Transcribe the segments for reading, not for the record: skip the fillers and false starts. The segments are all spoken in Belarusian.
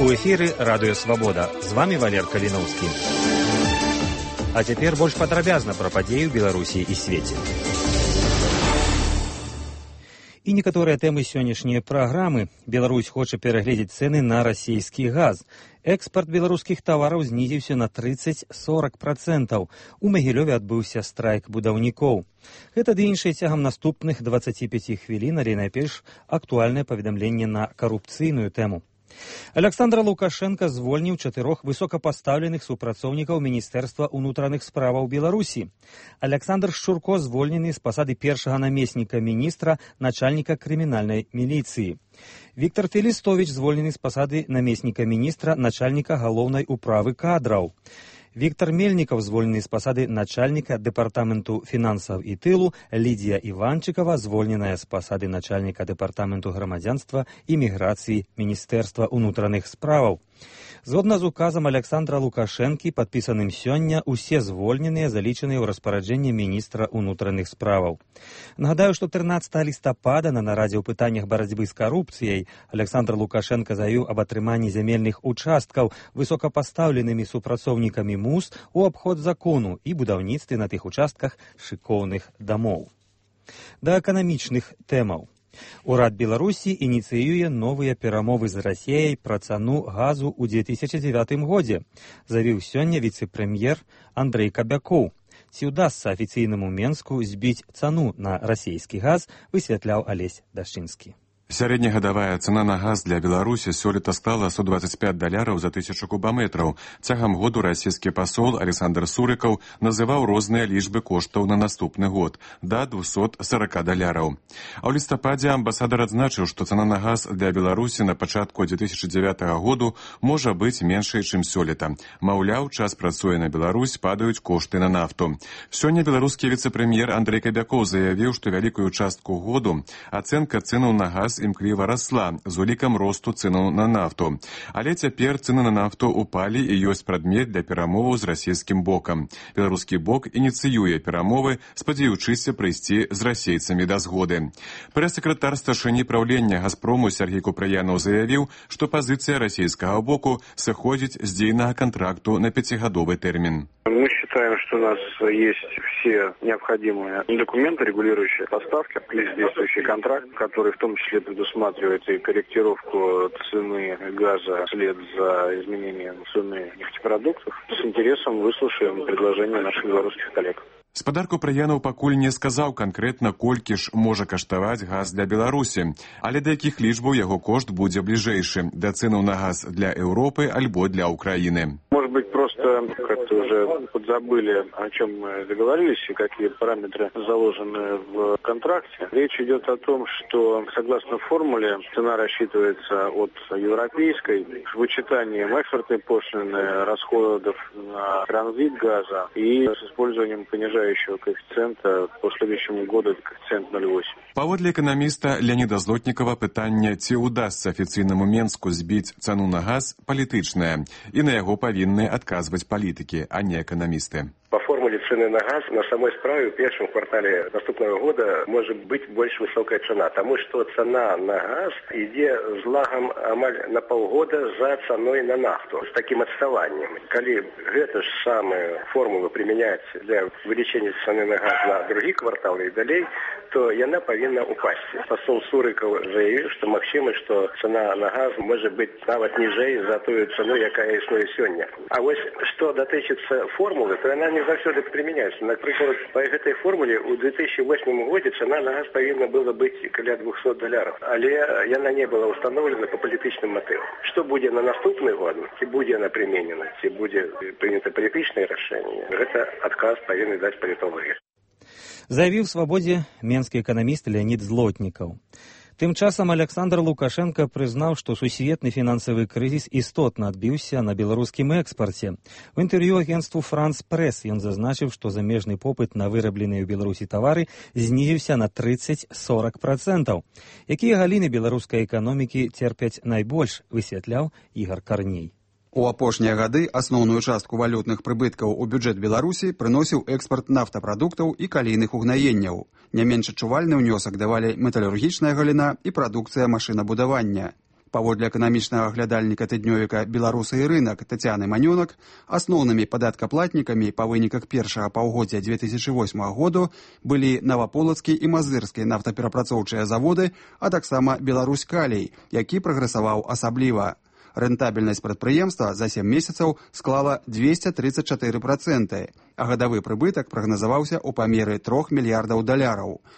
У эфіры Радыё Свабода. З вами Валер Каліноўскі. А цяпер больш падрабязна пра падзеі ў Беларусі і свеце. І некаторыя тэмы сённяшняй праграмы. Беларусь хоча перагледзець цэны на расійскі газ. Экспарт беларускіх тавараў знізіўся на 30-40%. У Магілёве адбыўся страйк будаўнікоў. Гэта ды іншае цягам наступных 25 хвілін, але найперш актуальнае паведамленне на карупцыйную тэму. Александр Лукашенко звольніў 4 высокапастаўленых супрацоўнікаў Міністэрства ўнутраных справаў Беларусі. Александр Шчурко звольнены з пасады першага намесніка міністра, начальніка крымінальнай міліцыі. Віктор Фелістовіч звольнены з пасады намесніка міністра, начальніка галоўнай управы кадраў. Віктор Мельнікаў звольнены з пасады начальніка дэпартаменту фінансаў і тылу, Лідія Іванчыкава звольненая з пасады начальніка дэпартаменту грамадзянства і міграцыі Міністэрства ўнутраных справаў. Згодна з указам Александра Лукашэнкі, падпісаным сёння, усе звольненыя залічаныя ў распараджэнне міністра ўнутраных справаў. Нагадаю, што 13 лістапада на нарадзе ў пытаннях барацьбы з карупцыяй Александр Лукашенко заявіў аб атрыманні зямельных участкаў высокапастаўленымі супрацоўнікамі МУС у абход закону і будаўніцтве на тых участках шыкоўных дамоў. Да эканамічных тэмаў. Урад Беларусі ініцыюе новыя перамовы з Расіяй пра цану газу ў 2009 годзе, заявіў сёння віцэ-прэм'ер Андрэй Кабякоў. Ці ўдасца афіцыйнаму Менску збіць цану на расійскі газ, высвятляў Алесь Дашчынскі. Сярэднегадавая цана на газ для Беларусі сёлета стала $125 за 1000 кубаметраў. Цягам году расійскі пасол Александр Сурыкаў называў розныя лічбы коштаў на наступны год – да $240. А ў лістападзе амбасадар адзначыў, што цана на газ для Беларусі на пачатку 2009 году можа быць меншай, чым сёлета. Маўляў, час працуе на Беларусь, падаюць кошты на нафту. Сёння беларускі віцэ-прэм'ер Андрэй Кабякоў заявіў, што вялікую частку году ацэнка цэнаў на газ імкліва расла з улікам росту цэнаў на нафту. Але цяпер цэны на нафту упалі і ёсць прадмет для перамоваў з расійскім бокам. Беларускі бок ініцыюе перамовы, спадзяючыся прыйсці з расейцамі да згоды. Прэс-сакратар старшыні праўлення Газпрому Сергей Купрыянаў заявіў, што пазіцыя расійскага боку сыходзіць з дзейнага кантракту на 5-гадовы тэрмін. Мы считаем, что у нас есть все необходимые документы, регулирующие поставки. Есть действующий контракт, который в том числе предусматривает и корректировку цены газа вслед за изменением цены нефтепродуктов. С интересом выслушаем предложения наших белорусских коллег. Спадар Купрыянаў пакуль не сказаў канкрэтна, колькі ж можа каштаваць газ для Беларусі, але да якіх лічбаў яго кошт будзе бліжэйшы, да цэнаў на газ для Еўропы альбо для Украины. Может быть, просто как-то уже подзабыли, о чем мы договорились и какие параметры заложены в контракте. Речь идет о том, что согласно формуле цена рассчитывается от европейской с вычитанием экспортной пошлины, расходов на транзит газа и с использованием понижающего коэффициента по следующему году это коэффициент 0,8. Паводле эканаміста Леоніда Злотнікава пытанне, ці ўдасца афіцыйнаму Менску збіць цану на газ, палітычнае, і на яго павінны адказваць палітыкі, а не эканамісты. По формуле цены на газ на самой справе в первом квартале наступного года может быть больше высокая цена, потому что цена на газ идет с лагом амаль на полгода за ценой на нафту, с таким отставанием. Коли эта же самая формула применяется для увеличения цены на газ на другие кварталы и далее, то она повинна упасть. Посол Сурыков заявил, что максимум, что цена на газ может быть навіть ниже за ту цену, яка існує сьогодні. А ось що дотичиться формули, то вона не завсёды применяется. Например, по этой формуле у 2008 году цена на газ повинна была быть каля $200, але она не была установлена по политичным мотивам. Что будет на наступный год, ці будет она применена, ці будет принято политичное решение, это отказ повинны дать политологи. Заявіў свабодзе менскі эканаміст Леонід Злотнікаў. Тым часам Александр Лукашенко прызнаў, што сусветны фінансавы крызіс істотна адбіўся на беларускім экспарце. У інтэрв'ю агенству «Франс Прэс» ён зазначыў, што замежны попыт на вырабленыя ў Беларусі тавары знізіўся на 30-40%. Якія галіны беларускай эканомікі церпяць найбольш, высвятляў Ігар Карней. У апошнія гады асноўную частку валютных прыбыткаў у бюджэт Беларусі прыносіў экспарт нафтапрадуктаў і калійных угнаенняў. Не менш адчувальны ўнёсак давалі металургічная галіна і прадукцыя машынабудавання. Паводле эканамічнага глядальніка тыднёвіка «Беларусы і рынок» Тацяны Манёнак, асноўнымі падаткаплатнікамі па выніках першага паўгоддзя 2008 году былі Наваполацкі і Мазырскі нафтаперапрацоўчыя заводы, а таксама «Беларусь-Калій», які прагрэсаваў асабліва. Рэнтабельнасць прадпрыемства за 7 месяцаў склала 234%, а гадавы прыбытак прагназаваўся ў памеры $3 мільярдаў,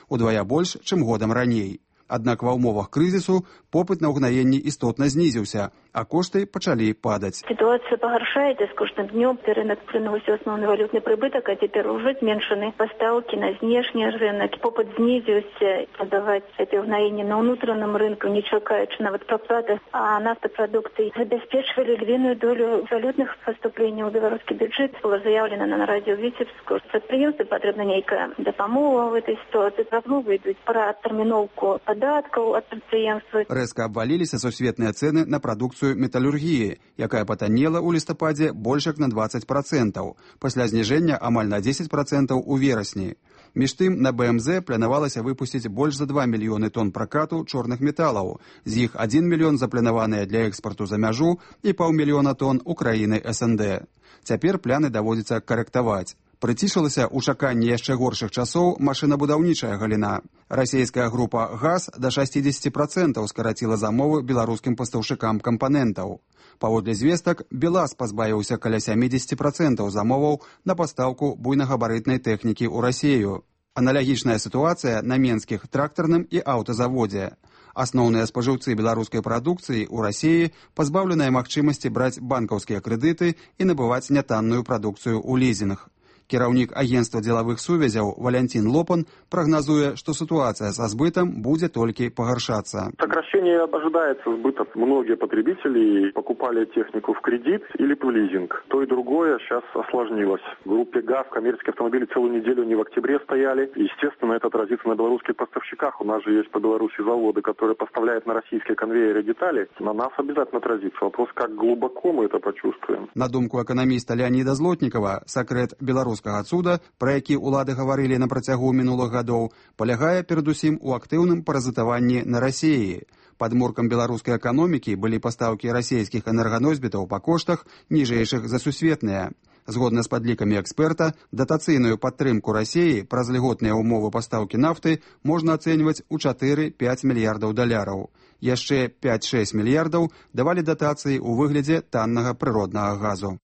удвая больш, чым годам раней. Аднак ва ўмовах крызісу попыт на ўгнаенні істотна знізіўся, а кошты пачалі падаць. Ситуация погоршается с каждым днем. Рынок приносил основной валютный прибыток, а теперь уже зменшены поставки на внешний рынок. Попыт снизился. Продавать это угноение на внутреннем рынке, не чекаючи навіть проплаты. А нафтопродукты забезпечивали львиную долю валютных поступлений у белорусский бюджет. Было заявлено на радио Витебску. Предприемству потребна некая допомога в этой ситуации. Размовы идут про терминовку податков от предприемства. Рэзка абваліліся сусветныя цэны на прадукцыю металургіі, якая патаннела ў лістападзе больш як на 20%, пасля зніжэння амаль на 10% у верасні. Між тым, на БМЗ планавалася выпусціць больш за 2 мільёны тонн пракату чорных металаў, з іх 1 мільён запланаваныя для экспарту за мяжу і 500 000 тонн у краіны СНД. Цяпер пляны даводзіцца карэктаваць. Прыцішылася ў чаканні яшчэ горшых часоў машынабудаўнічая галіна. Расійская група «ГАЗ» да 60% скараціла замовы беларускім пастаўшчыкам кампанентаў. Паводле звестак, «БелАЗ» пазбавіўся каля 70% замоваў на пастаўку буйнагабарытнай тэхнікі ў Расію. Аналагічная сітуацыя на менскіх трактарным і аўтазаводзе. Асноўныя спажыўцы беларускай прадукцыі ў Расіі пазбаўленыя магчымасці браць банкаўскія крэдыты і набываць нятанную прадукцыю ў лізінг. Кіраўнік агентства дзелавых сувязяў Валентин Лопан прогнозуе, что ситуация со сбытом будет только погоршаться. Сокращение ожидается сбыта. Многие потребители покупали технику в кредит или в лизинг. То и другое сейчас осложнилось. В группе ГАЗ коммерческие автомобили целую неделю не в октябре стояли. Естественно, это отразится на белорусских поставщиках. У нас же есть по Беларуси заводы, которые поставляют на российские конвейеры детали. На нас обязательно отразится. Вопрос, как глубоко мы это почувствуем. На думку экономиста Леонида Злотникова, секрет белорусского цуда, про які улады гаварылі на працягу мінулых гадоў, палягае перадусім у актыўным паразітаванні на Расіі. Падмуркам беларускай эканомікі былі пастаўкі расійскіх энерганосьбітаў па коштах ніжэйшых за сусветныя. Згодна з падлікамі эксперта, датацыйную падтрымку Расіі праз льготныя ўмовы пастаўкі нафты можна ацэньваць у $4-5 мільярдаў. Яшчэ 5-6 мільярдаў давалі датацыі ў выглядзе таннага прыроднага газу.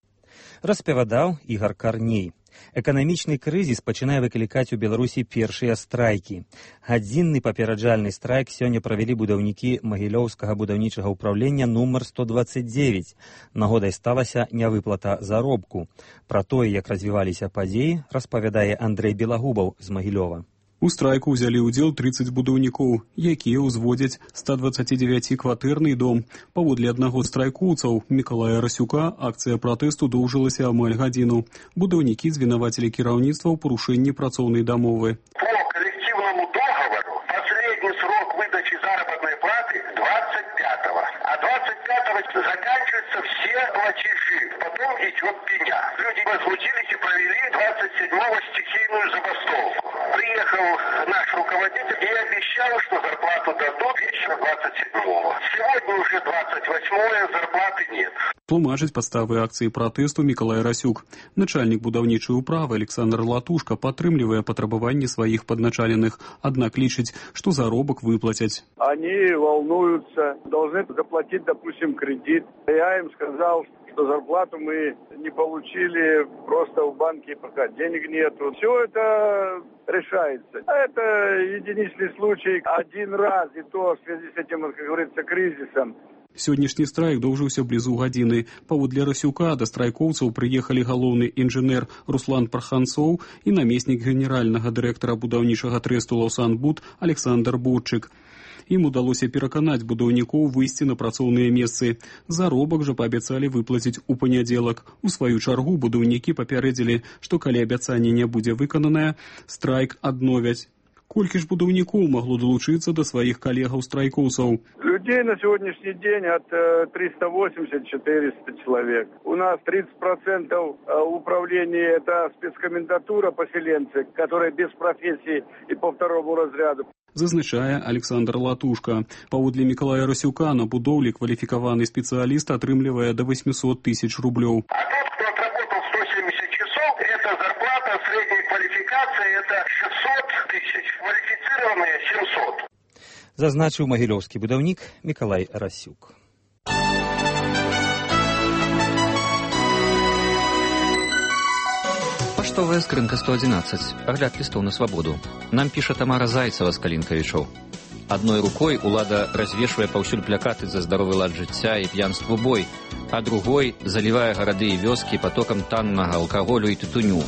Распавядаў Ігор Карней. Эканамічны крызіс пачынае выклікаць у Беларусі першыя страйкі. Гадзінны папераджальны страйк сёння правялі будаўнікі Магілёўскага будаўнічага ўпраўлення нумар 129. Нагодай сталася нявыплата заробку. Пра тое, як развіваліся падзеі, распавядае Андрэй Белагубаў з Магілёва. У страйку ўзялі ўдзел 30 будаўнікоў, якія ўзводзяць 129-кватэрны дом. Паводле аднаго з страйкоўцаў, Мікалая Расюка, акцыя пратэсту доўжылася амаль гадзіну. Будаўнікі звінавацілі кіраўніцтва ў парушэнні працоўнай дамовы. По коллективному договору последний срок выдачи заработной платы 25-го, а 25-го заканчиваются все платежи. Потом идет пеня. Люди возмутились и провели 27-го стихийную забастовку. Приехал наш руководитель и обещал, что зарплату дадут вечером 27-го. Сегодня уже 28-е, зарплаты нет. Тлумачыць падставы акцыі пратэсту Мікалай Расюк. Начальнік будаўнічай управы Александр Латушка падтрымлівае патрабаванні сваіх падначаленых, аднак лічыць, што заробак выплацяць. Они волнуются, должны заплатить, допустим, кредит. Я им сказал, что зарплату мы не получили просто в банке, пока денег нету. Все это решается. Это единичный случай. Один раз, и то в связи с этим, как говорится, кризисом. Сённяшні страйк доўжыўся блізу гадзіны. Паводле Расюка да страйкоўцаў прыехалі галоўны інжынер Руслан Парханцоў і намеснік генеральнага дырэктара будаўнічага трэсту «Лаўсанбуд» Александр Бурчык. Ім удалося пераканаць будаўнікоў выйсці на працоўныя месцы. Заробак жа паабяцалі выплаціць у панядзелак. У сваю чаргу будаўнікі папярэдзілі, што калі абяцанне не будзе выкананае, страйк адновяць. Колькі ж будаўнікоў магло далучыцца да сваіх калегаў-страйкоўцаў? Людей Людей на сегодняшний день от 380-400 человек. У нас 30% управления это спецкомендатура поселенцы, которые без профессии и по второму разряду. Зазначае Александр Латушка. Паводле Миколая Расюка на будоўлі кваліфікаваны спецыяліст атрымлівае до 800 тысяч рублёў. А тот, кто отработал 170 часов, это зарплата средней квалификации, это 600 тысяч, квалифицированные 700. Зазначыў магілёўскі будаўнік Миколай Расюк. Паштовая скрынка 111. Агляд листов на свободу. Нам піша Тамара Зайцева з Калінкавічоў. Адной рукой улада развешвае паўсюль плакаты за здаровы лад жыцця і п'янству бой, а другой залівае гарады і вёскі потокам таннага алкаголю і тытуню.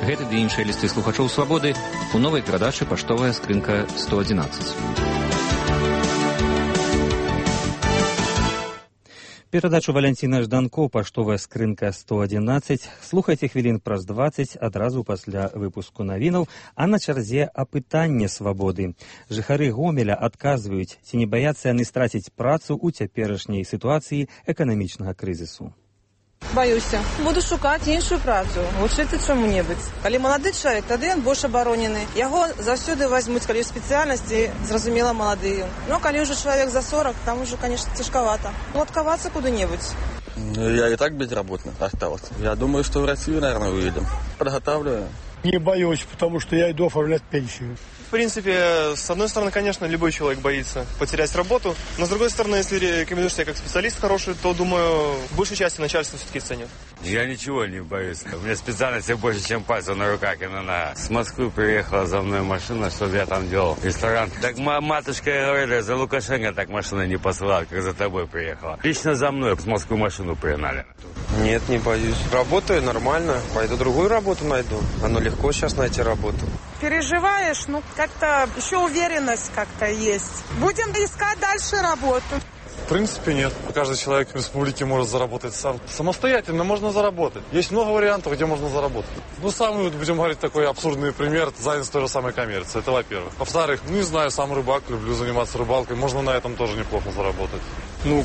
Гэты ды іншыя лісты слухачоў свабоды у новай перадачы «Паштовая скрынка 111». Перадачу Валянціна Жданко «Паштовая скрынка 111». Слухайце хвілін праз 20 адразу пасля выпуску навінаў, а на чарзе апытанне свабоды. Жыхары Гомеля адказваюць, ці не баяцца яны страціць працу ў цяперашняй сітуацыі эканамічнага крызісу. Баюся. Буду шукаць іншую працу, вучыцца чаму-небудзь. Калі малады чалавек, тады ён больш абаронены. Яго заўсёды возьмуць, калі ў спецыяльнасці, зразумела, малады. Но калі ўжо чалавек за 40, там уже, конечно, цяжкавата. Адкавацца куды-небудзь. Я и так безработный остался. Я думаю, что в Россию, наверное, уедем. Подготавливаю. Не боюсь, потому что я иду оформлять пенсию. В принципе, с одной стороны, конечно, любой человек боится потерять работу, но с другой стороны, если рекомендуешь себя как специалист хороший, то, думаю, в большей части начальство все-таки ценит. Я ничего не боюсь. У меня специальности больше, чем пальцев на руках и на ногах. С Москвы приехала за мной машина, чтобы я там делал ресторан. Так матушка говорила, за Лукашенко так машина не посылала, как за тобой приехала. Лично за мной с Москвы машину пригнали. Нет, не боюсь. Работаю нормально. Пойду другую работу найду. Оно легко сейчас найти работу. Переживаешь, как-то еще уверенность как-то есть. Будем искать дальше работу. В принципе, нет. Каждый человек в республике может заработать сам. Самостоятельно можно заработать. Есть много вариантов, где можно заработать. Самый, будем говорить, такой абсурдный пример, это занятость той же самой коммерции. Это во-первых. Во-вторых, не знаю, сам рыбак, люблю заниматься рыбалкой. Можно на этом тоже неплохо заработать.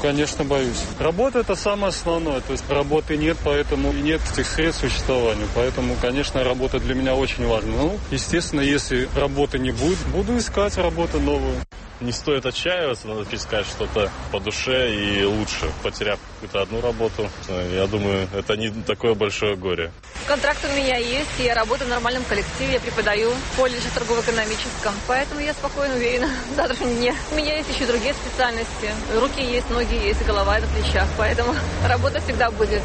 Конечно, боюсь. Работа – это самое основное. То есть работы нет, поэтому и нет этих средств существования. Поэтому, конечно, работа для меня очень важна. Естественно, если работы не будет, буду искать работу новую. Не стоит отчаиваться, надо искать что-то по душе и лучше, потеряв какую-то одну работу. Я думаю, это не такое большое горе. Контракт у меня есть, я работаю в нормальном коллективе, я преподаю в колледже торгово-экономическом, поэтому я спокойно уверена в завтрашнем дне. У меня есть еще другие специальности. Руки есть, ноги есть, голова на плечах, поэтому работа всегда будет.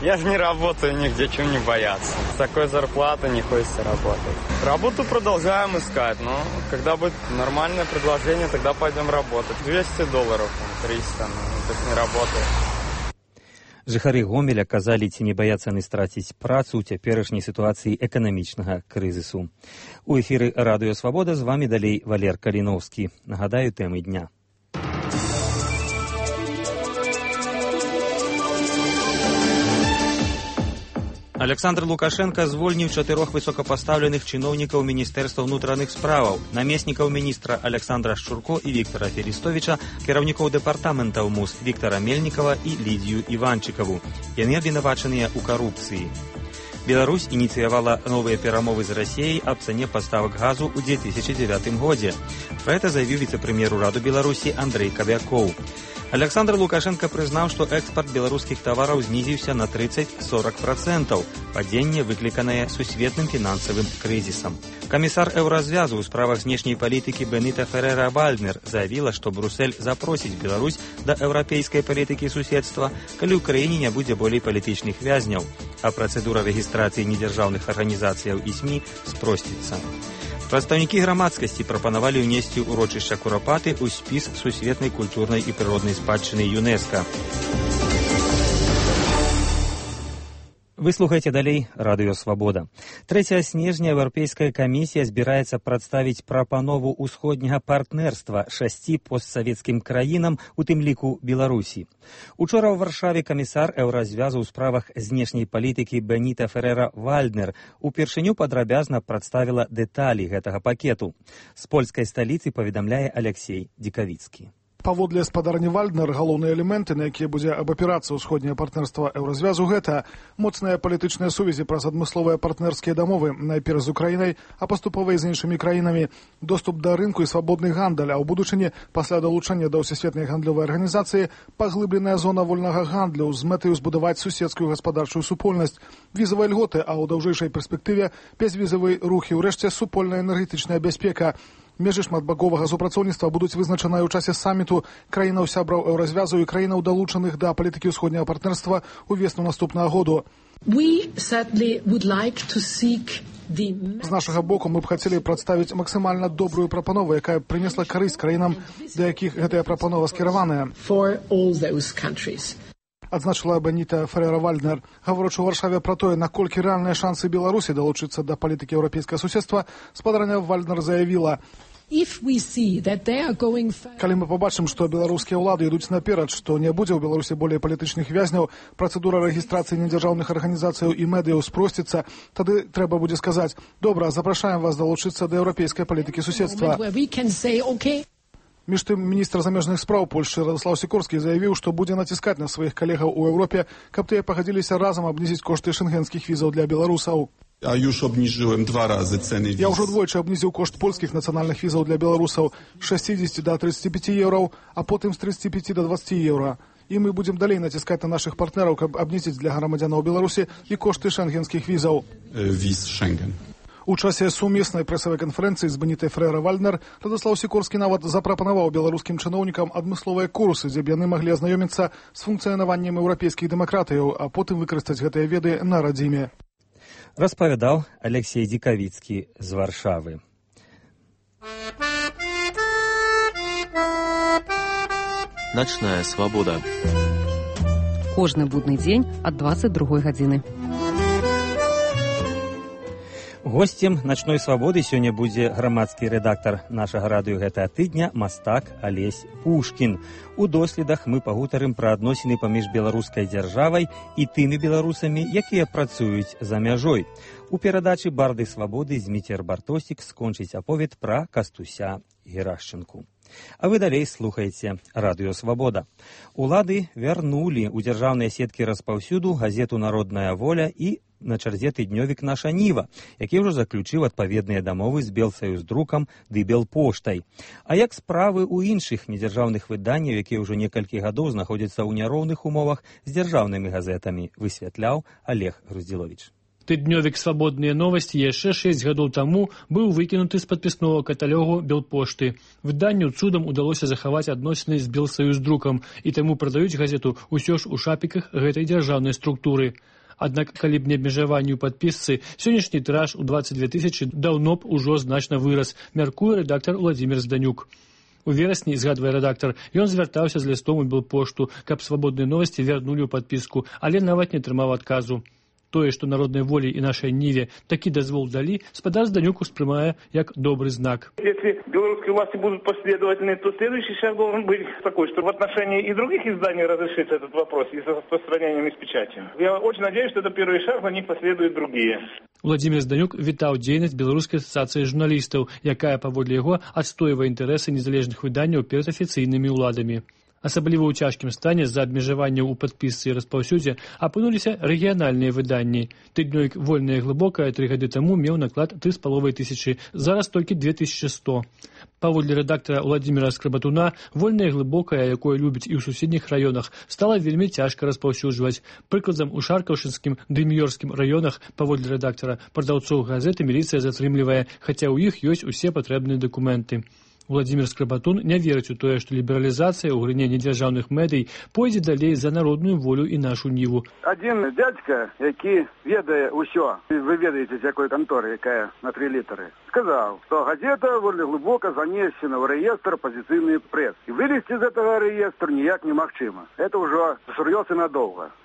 Я же не работаю нигде, чего не бояться. С такой зарплатой не хочется работать. Работу продолжаем искать, но когда будет нормальное предложение, тогда пойдем работать. $200, 300, то есть не работает. Жыхары Гомеля казалі, ці не баяцца яны страціць працу ў цяперашняй сітуацыі эканамічнага крызісу. У эфіры Радыё Свабода з вамі далей Валер Каліноўскі. Нагадаю тэмы дня. Александр Лукашенко звольніў 4 высокапастаўленых чыноўнікаў Міністэрства ўнутраных справаў, намеснікаў міністра Александра Шчурко і Віктора Фелістовіча, кіраўнікоў дэпартаментаў МУС Віктора Мельнікава і Лідію Іванчыкаву. Яны абвінавачаныя ў карупцыі. Беларусь ініцыявала новыя перамовы з Расіяй аб цане паставак газу ў 2009 годзе. Пра гэта заявіў віцэ-прэм'ер ураду Беларусі Андрэй Кабякоў. Александр Лукашенко прызнаў, што экспарт беларускіх тавараў знізіўся на 30-40%, падзенне выкліканае сусветным фінансавым крызісам. Камісар Еўразвязу ў справах знешняй палітыкі Беніта Ферера-Вальднер заявіла, што Брюссель запросіць Беларусь да еўрапейскай палітыкі суседства, калі ў краіне не будзе болей палітычных вязняў, а працэдура рэгістрацыі недзяржаўных арганізацыяў і СМІ спросціцца. Прадстаўнікі грамадскасці прапанавалі ўнесці ўрочышча Курапаты ў спіс сусветнай культурнай і прыроднай спадчыны ЮНЕСКО. Вы слухаеце далей Радыё Свабода. 3 снежня Еўрапейская камісія збіраецца прадставіць прапанову ўсходняга партнерства 6 постсавецкім краінам, у тым ліку Беларусі. Учора ў Варшаве камісар Еўразвязу ў справах знешняй палітыкі Беніта Ферера-Вальднер упершыню падрабязна прадставіла дэталі гэтага пакету. З польскай сталіцы паведамляе Алексей Дзікавіцкі. Паводле спадарні Вальднер, галоўныя элементы, на якія будзе абапірацца ўсходняе партнерства Еўразвязу, гэта моцныя палітычныя сувязі праз адмысловыя партнерскія дамовы, найперш з Украінай, а паступова і з іншымі краінамі, доступ да рынку і свабодны гандаль, а ў будучыні, пасля далучэння да ўсесветнай гандлёвай арганізацыі, паглыбленая зона вольнага гандлю з мэтаю збудаваць суседскую гаспадарчую супольнасць, візавыя льготы, а ў даўжэйшай перспектыве бязвізавы рух і ўрэшце супольная энергетычная бяспека. Межы шматбаковага супрацоўніцтва будуць вызначаныя ў часе саміту краінаў сябраў Еўразвязу і краінаў, далучаных да палітыкі ўсходняга партнерства ў весну наступнага году. З нашага боку мы б хацелі прадставіць максімальна добрую прапанову, якая прынесла карысць краінам, да якіх гэтая прапанова скіраваная. Адзначыла Беніта Феррера-Вальднер, гаворачы ў Варшаве пра тое, наколькі рэальныя шансы Беларусі далучыцца да палітыкі еўрапейскага суседства, спадарня Вальднер заявіла: калі мы пабачым, што беларускія ўлады ідуць наперад, што не будзе ў Беларусі болей палітычных вязняў, працэдура рэгістрацыі недзяржаўных арганізацыяў і медыяў спросціцца, тады трэба будзе сказаць: добра, запрашаем вас далучыцца да еўрапейскай палітыкі суседства. Між тым, міністр замежных спраў Польшчы Радослаў Сікорскі заявіў, што будзе націскаць на сваіх калегаў у Еўропе, каб тыя пагадзіліся разам абнізіць кошты шэнгенскіх візаў для беларусаў. Я ўжо двойчы абнізіў кошт польскіх нацыянальных візаў для беларусаў з 60 до 35 еўраў, а потым з 35 до 20 еўра. І мы будзем далей націскаць на нашых партнераў, каб абнізіць для грамадзянаў Беларусі і кошты шэнгенскіх візаў. Віз Шэнген. У часе сумеснай прэсавай канферэнцыі з Бенітай Феррера-Вальднер Радослаў Сікорскі нават запрапанаваў беларускім чыноўнікам адмысловыя курсы, дзе б яны маглі азнаёміцца з функцыянаваннем еўрапейскіх дэмакратыяў, а потым выкарыстаць гэтыя веды на радзіме. Распавядаў Алексей Дикавіцкі з Варшавы. Начная свабода. Кожны будны дзень ад 22 гадзіны. Госцем начной свабоды сёння будзе грамадскі рэдактар нашага радыё гэтага тыдня мастак Алесь Пушкін. У доследах мы пагутарым пра адносіны паміж беларускай дзяржавай і тымі беларусамі, якія працуюць за мяжой. У перадачы «Барды свабоды» Зміцер Бартосік скончыць аповед пра Кастуся Герашчынку. А вы далей слухаеце радыё «Свабода». Улады вярнулі ў дзяржаўныя сеткі распаўсюду газету «Народная воля» і на чарзе тыднёвік «Наша Ніва», які ўжо заключыў адпаведныя дамовы з Белсаюздрукам ды Белпоштай. А як справы ў іншых недзяржаўных выданняў, якія ўжо некалькі гадоў знаходзяцца ў няроўных умовах з дзяржаўнымі газетамі, высвятляў Олег Груздзіловіч. Тыднёвік «Свабодныя новасці» яшчэ 6 гадоў таму быў выкінуты з падпіснога каталогу Белпошты. Выданню цудам удалося захаваць адносіны з Белсаюздрукам, і таму прадаюць газету ўсё ж у шапіках гэтай дзяржаўнай структуры. Аднак, калі б не абмежаванне ў падпісцы, сённяшні тыраж у 22 000 даўно б ужо значна вырас, мяркуе рэдактар Владзімір Зданюк. У верасні, згадвае рэдактар, ён звяртаўся з лістом у Белпошту, каб «Свабодныя новасці» вярнулі ў падпіску, але нават не атрымаў адказу. Тое, што «Народнай волі» і «Нашай Ніве» такі дазвол далі, спадар Зданюк успрымае як добрый знак. Если белорусские власти будут последовательны, то следующий шаг должен быть такой, что в отношении и других изданий разрешится этот вопрос и с распространением, и с печатью. Я очень надеюсь, что это первый шаг, за ним последуют другие. Владзімір Зданюк вітаў дзейнасць Беларускай асацыяцыі журналістаў, якая, паводле яго, адстойвае інтарэсы незалежных выданняў перад афіцыйнымі ўладамі. Асабліва ў цяжкім стане з-за абмежаванняў у падпісцы і распаўсюдзе апынуліся рэгіянальныя выданні. Тыднёвік «Вольная і глыбокая» 3 гады таму меў наклад 3500, зараз толькі 2100. Паводле рэдактара Владзіміра Скрабатуна, «Вольная і глыбокая», якое любіць і ў суседніх раёнах, стала вельмі цяжка распаўсюджваць. Прыкладам, у Шаркаўшынскім ды Міёрскім раёнах, паводле рэдактара, прадаўцоў газеты міліцыя затрымлівае, хаця ў іх ёсць усе патрэбныя дакументы. Владзімір Скрабатун не верыць у тое, што лібералізацыя ў галіне недзяржаўных медый пойдзе далей за народную волю і нашу Ніву. Адзін дзядзька, які ведае ўсё, вы ведаеце, з якой канторы, якая на 3 літары, сказаў, што газета «Вольна глыбока» занесена ў рэестр апазіцыйны прэс. І вылезці з гэтага рэестра ніяк немагчыма. Это ўжо сур'ёз і надоўга.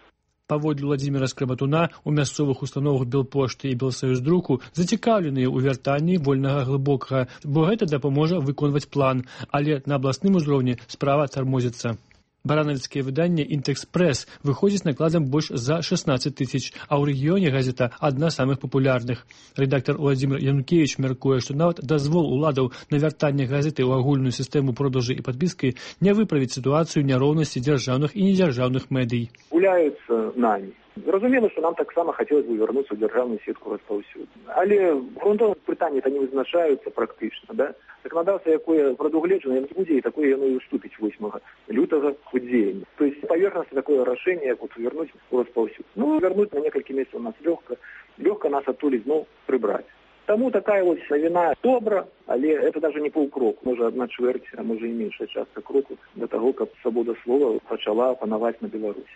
Паводле Владзіміра Скрабатуна, у мясцовых установах Белпошты і Белсаюздруку зацікаўленыя ў вяртанні «Вольнага глыбокага», бо гэта дапаможа выконваць план, але на абласным узроўні справа тармозіцца. Баранавіцкае выданне «Інтэкспрэс» выходзіць накладам больш за 16 тысяч, а ў рэгіёне газета адна з самых папулярных. Рэдактар Владзімір Янукевіч мяркуе, што нават дазвол уладаў на вяртанне газеты ў агульную сістэму продажы і падпіскі не выправіць сітуацыю няроўнасці дзяржаўных і недзяржаўных медый. Гуляюцца намі. Зразумела, што нам таксама хацелася бы вярнуцца ў дзяржаўную сетку распаўсюду. Але грунтоўных пытанні это не вызначаюцца практычна, да? Законодаўства, якое прадугледжана, яно будзе, і такое яно і уступіць 8 лютага ў дзеянне. То есть паверхнасна такое рашэнне, як вернуць у распаўсюд. Ну, вернуць на некалькі месяцаў нас лёгка нас адтуль зноў прыбраць. Таму такая вось навіна добра, але это даже не паўкрок, можа 1/4, а можа і меншая частка кроку да таго, каб свабода слова пачала панаваць на Беларусі.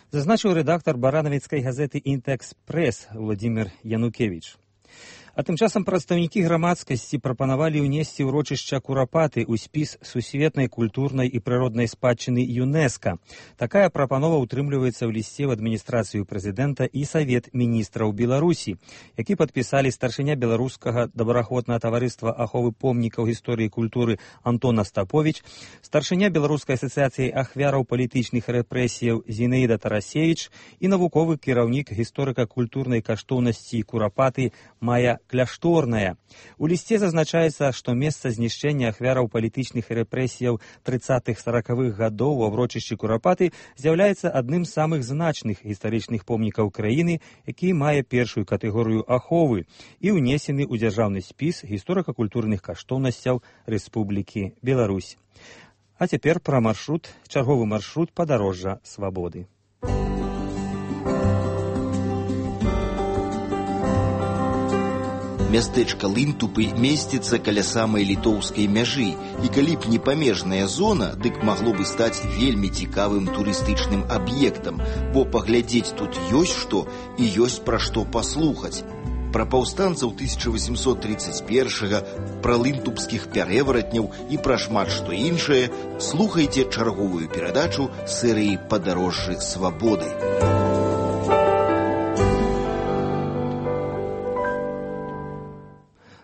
Зазначыў рэдактар баранавіцкай газеты «Інтэкспрэс» Владзімір Янукевіч. А тым часам прадстаўнікі грамадскасці прапанавалі ўнесці ўрочышча Курапаты ў спіс сусветнай культурнай і прыроднай спадчыны ЮНЕСКА. Такая прапанова ўтрымліваецца ў лісце ў адміністрацыю прэзідэнта і Савет міністраў Беларусі, які падпісалі старшыня беларускага добраахвотнага таварыства аховы помнікаў гісторыі і культуры Антон Астаповіч, старшыня беларускай асацыяцыі ахвяраў палітычных рэпрэсіяў Зінаіда Тарасевіч і навуковы кіраўнік гісторыка-культурнай каштоўнасці Курапаты Майя Кляшторная. У лісце зазначаецца, што месца знішчэння ахвяраў палітычных рэпрэсіяў 30-40-х гадоў у ўрочышчы Курапаты з'яўляецца адным з самых значных гістарычных помнікаў краіны, які мае першую катэгорыю аховы і ўнесены ў дзяржаўны спіс гісторыка-культурных каштоўнасцяў Рэспублікі Беларусь. А цяпер пра чарговы маршрут падарожжа свабоды. Мястэчка Лынтупы месціцца каля самай літоўскай мяжы, і калі б не памежная зона, дык магло бы стаць вельмі цікавым турыстычным аб'ектам, бо паглядзець тут ёсць што і ёсць пра што паслухаць. Пра паўстанцаў 1831-га, пра лынтупскіх пярэваратняў і пра шмат што іншае слухайце чарговую перадачу серыі «Падарожжы свабоды».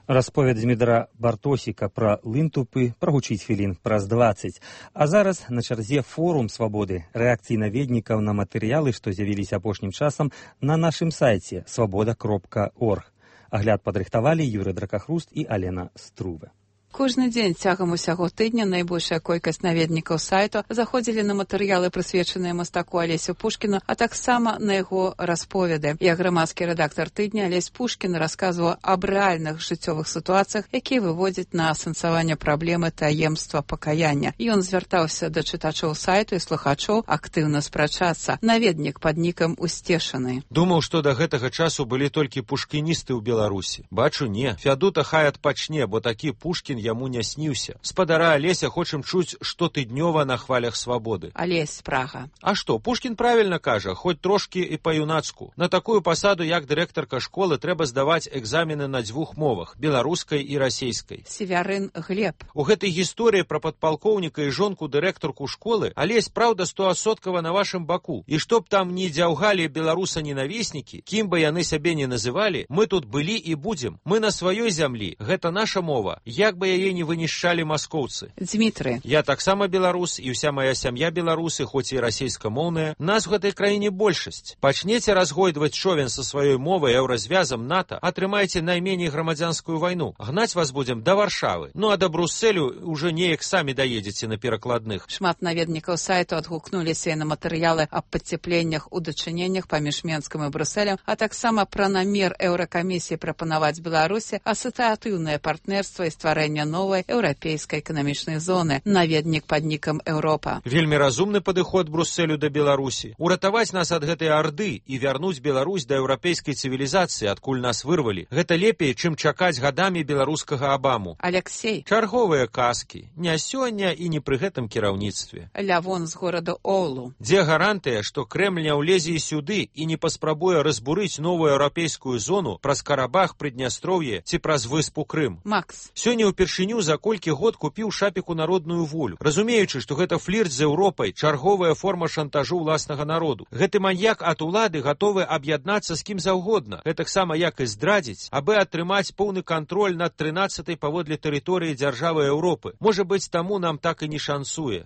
Расповед Дмітра Бартосіка пра Лынтупы прагучыць хвілін праз 20. А зараз на чарзе форум свабоды, рэакцыі наведнікаў на матэрыялы, што з'явіліся апошнім часам на нашым сайце свабода.орг. Агляд падрыхтавалі Юрый Дракахруст і Алена Струве. Кожны дзень цягам усяго тыдня найбольшая колькасць наведнікаў сайту заходзілі на матэрыялы, прысвечаныя мастаку Алесю Пушкіну, а таксама на яго расповеды. Я грамадскі рэдактар тыдня Алесь Пушкін расказваў аб рэальных жыццёвых сітуацыях, якія выводзяць на асэнсаванне праблемы таемства пакаяння. Ён звяртаўся да чытачоў сайту і слухачоў актыўна спрачацца. Наведнік пад нікам Усцешаны. Думаў, што да гэтага часу былі толькі пушкіністы ў Беларусі. Бачу, не. Фядута хай адпачне, бо такі Пушкін яму не сніўся. Спадара Алеся хочам чуць штотыднёва на хвалях свабоды. Алесь Прага. А што, Пушкін правільна кажа, хоць трошкі і па-юнацку. На такую пасаду, як дырэктарка школы, трэба здаваць экзамены на 2 мовах, беларускай і расейскай. Севярын Глеб. У гэтай гісторыі пра падпалкоўніка і жонку дырэктарку школы Алесь, праўда, 100% на вашым баку. І чтоб там не дзяўгалі беларуса-ненавіснікі, кім бы яны сябе не называлі, мы тут былі і будзем. Мы на сваёй зямлі, гэта наша мова. Як бы яе не вынішчалі маскоўцы. Дмітры. Я таксама беларус, і ўся мая сям'я беларусы, хоць і расейскамоўная. Нас у гэтай краіне большасць. Пачнеце разгойдваць човен са сваёй мовай еўразвязам НАТО, атрымаеце найменей грамадзянскую вайну. Гнаць вас будзем да Варшавы. Ну а да Брусселю уже неяк самі даедзеце на перакладных. Шмат наведнікаў сайту адгукнуліся на матэрыялы аб падцепленнях у дачыненнях паміж Менскам і Брусселем, а таксама пра намер Еўракамісіі прапанаваць Беларусі асацыятыўнае партнерства і стварэння новай еўрапейскай эканамічнай зоны. Наведнік пад нікам Еўропа. Вельмі разумны падыход Брусселю да Беларусі. Уратаваць нас ад гэтай арды і вярнуць Беларусь да еўрапейскай цывілізацыі, адкуль нас вырвалі. Гэта лепей, чым чакаць гадамі беларускага Абаму. Алексей. Чарговыя казкі. Не сёння і не пры гэтым кіраўніцтве. Лявон з горада Оулу. Дзе гарантыя, што Крэмль не ўлезе і сюды і не паспрабуе разбурыць новую еўрапейскую зону праз Карабах, Прыднястроўе ці праз выспу Крым. Макс. Сёння ўпершыню за колькі год купіў шапіку народную волю, разумеючы, што гэта флірт з Еўропай, чарговая форма шантажу ўласнага народу. Гэты маньяк ад улады гатовы аб'яднацца з кім заўгодна, гэтаксама як і здрадзіць, абы атрымаць поўны кантроль над 13-й паводле тэрыторыі дзяржавы Еўропы. Можа быць, таму нам так і не шансуе.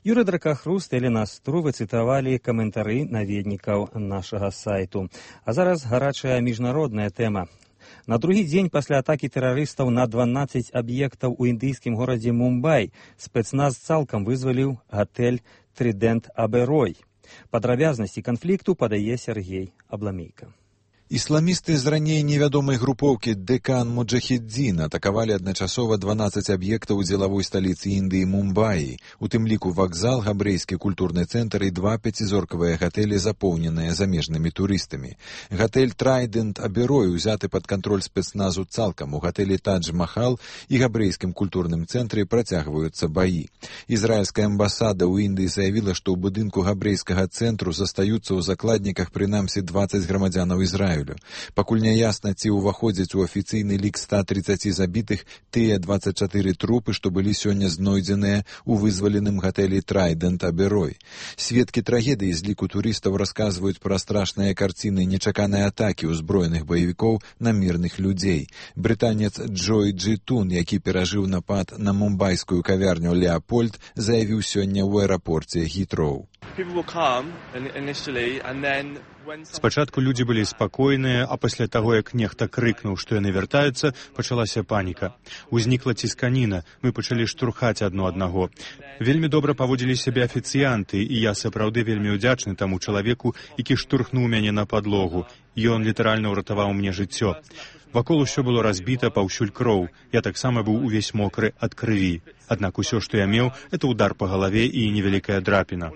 Юрий Дракахруст, Елена Струвы цытавалі каментары наведнікаў нашага сайту. А зараз гарачая міжнародная тэма. На другі дзень пасля атакі тэрарыстаў на 12 аб'ектаў у індыйскім горадзе Мумбай спецназ цалкам вызваліў гатэль «Тридент Аберой». Падрабязнасці канфлікту падае Сергей Абламейка. Ісламісты з раней невядомай групоўкі Дэкан Муджахіддзін атакавалі адначасова 12 аб'ектаў дзелавой сталіцы Індыі Мумбаі, у тым ліку вакзал, габрэйскі культурны цэнтр і 2 пяцізоркавыя гатэлі, запоўненыя замежнымі турыстамі. Гатэль «Трайдент Аберой» узяты пад кантроль спецназу цалкам. У гатэлі «Тадж-Махал» і габрэйскім культурным цэнтры працягваюцца баі. Ізраільская амбасада ў Індыі заявіла, што ў будынку габрэйскага цэнтру застаюцца ў закладніках прынамсі 20 грамадзянаў Ізраілю. Пакуль не ясна, ці ўваходзяць у афіцыйны лік 130 забітых тыя 24 трупы, што былі сёння знойдзеныя ў вызваленым гатэлі «Трайдент Аберой». Сведкі трагедыі з ліку турыстаў расказваюць пра страшныя карціны нечаканай атакі ўзброеных баевікоў на мірных людзей. Брытанец Джой Джитун, які перажыў напад на мумбайскую кавярню «Леапольд», заявіў сёння ў аэрапорце Хітроу. Спачатку людзі былі спакойныя, а пасля таго, як нехта крыкнуў, што яны вяртаюцца, пачалася паніка. Узнікла цісканіна, мы пачалі штурхаць адно аднаго. Вельмі добра паводзілі сябе афіцыянты, і я сапраўды вельмі ўдзячны таму чалавеку, які штурхнуў мяне на падлогу. Ён літаральна ўратаваў мне жыццё. Вакол усё было разбіта, паўсюль кроў. Я таксама быў увесь мокры ад крыві. Аднак усё, што я меў, это удар па галаве і невялікая драпіна.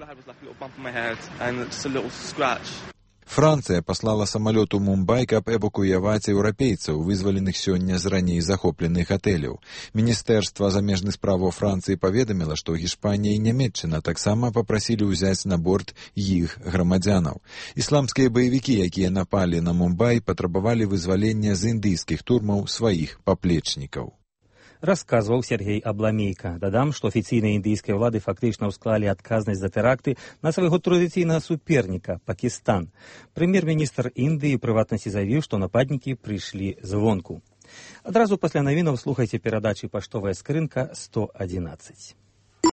Францыя паслала самалёт у Мумбай, каб эвакуяваць еўрапейцаў, вызваленых сёння з раней захопленых гатэляў. Міністэрства замежных справаў Францыі паведаміла, што Гішпанія і Нямецчына таксама папрасілі ўзяць на борт іх грамадзянаў. Ісламскія баевікі, якія напалі на Мумбай, патрабавалі вызвалення з індыйскіх турмаў сваіх паплечнікаў. Расказваў Сергей Абламейка. Дадам, што афіцыйныя індыйскія ўлады фактычна ўсклалі адказнасць за тэракты на свайго традыцыйнага суперніка Пакістан. Прэм'ер-міністр Індыі ў прыватнасці заявіў, што нападнікі прыйшлі звонку. Адразу пасля навінаў слухайце перадачы «Паштовая скрынка 111».